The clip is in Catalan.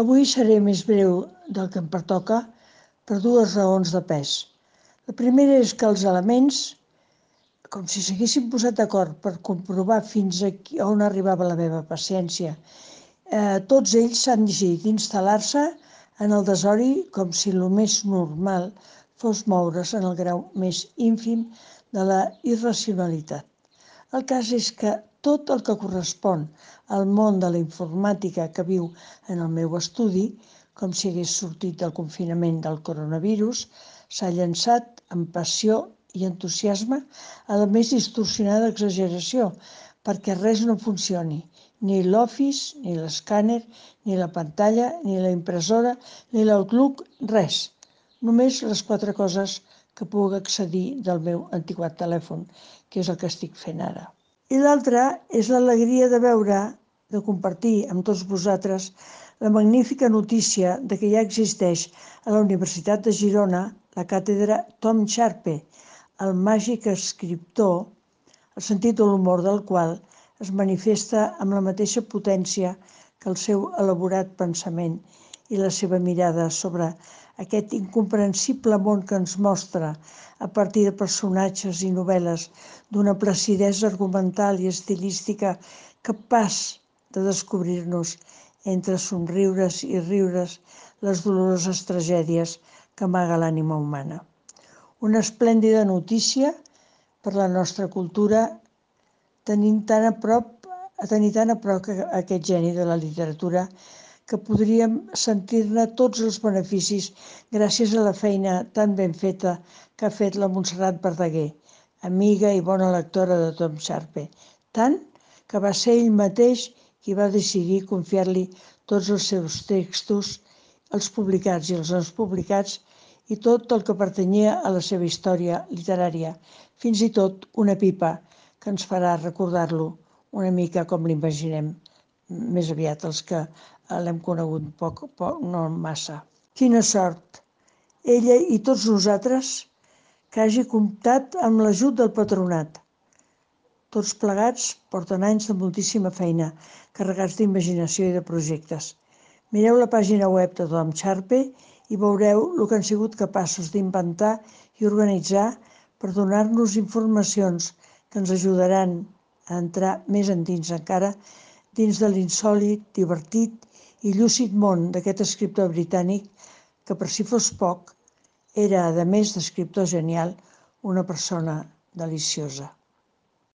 Avui seré més breu del que em pertoca per dues raons de pes. La primera és que els elements, com si s'haguessin posat d'acord per comprovar fins on arribava la meva paciència, tots ells s'han decidit instal·lar-se en el desori com si el més normal fos moure's en el grau més ínfim de la irracionalitat. El cas és que tot el que correspon al món de la informàtica que viu en el meu estudi, com si hagués sortit del confinament del coronavirus, s'ha llançat amb passió i entusiasme a la més distorsionada exageració, perquè res no funcioni, ni l'Office, ni l'escàner, ni la pantalla, ni la impressora, ni l'Outlook, res. Només les 4 coses que puc accedir del meu antiquat telèfon, que és el que estic fent ara. I l'altra és l'alegria de veure, de compartir amb tots vosaltres, la magnífica notícia de que ja existeix a la Universitat de Girona la càtedra Tom Sharpe, el màgic escriptor, el sentit de l'humor del qual es manifesta amb la mateixa potència que el seu elaborat pensament i la seva mirada sobre aquest incomprensible món que ens mostra a partir de personatges i novel·les d'una placidesa argumental i estilística capaç de descobrir-nos entre somriures i riures les doloroses tragèdies que amaga l'ànima humana. Una esplèndida notícia per la nostra cultura tenir tan a prop aquest geni de la literatura que podríem sentir-ne tots els beneficis gràcies a la feina tan ben feta que ha fet la Montserrat Verdaguer, amiga i bona lectora de Tom Sharpe, tant que va ser ell mateix qui va decidir confiar-li tots els seus textos, els publicats i els no publicats, i tot el que pertanyia a la seva història literària, fins i tot una pipa que ens farà recordar-lo una mica com l'imaginem, més aviat els que l'hem conegut poc, no massa. Quina sort, ella i tots nosaltres, que hagi comptat amb l'ajut del patronat. Tots plegats porten anys de moltíssima feina, carregats d'imaginació i de projectes. Mireu la pàgina web de Tom Sharpe i veureu el que han sigut capaços d'inventar i organitzar per donar-nos informacions que ens ajudaran a entrar més endins encara dins de l'insòlit, divertit i llúcid món d'aquest escriptor britànic que, per si fos poc, era, a més d'escriptor genial, una persona deliciosa.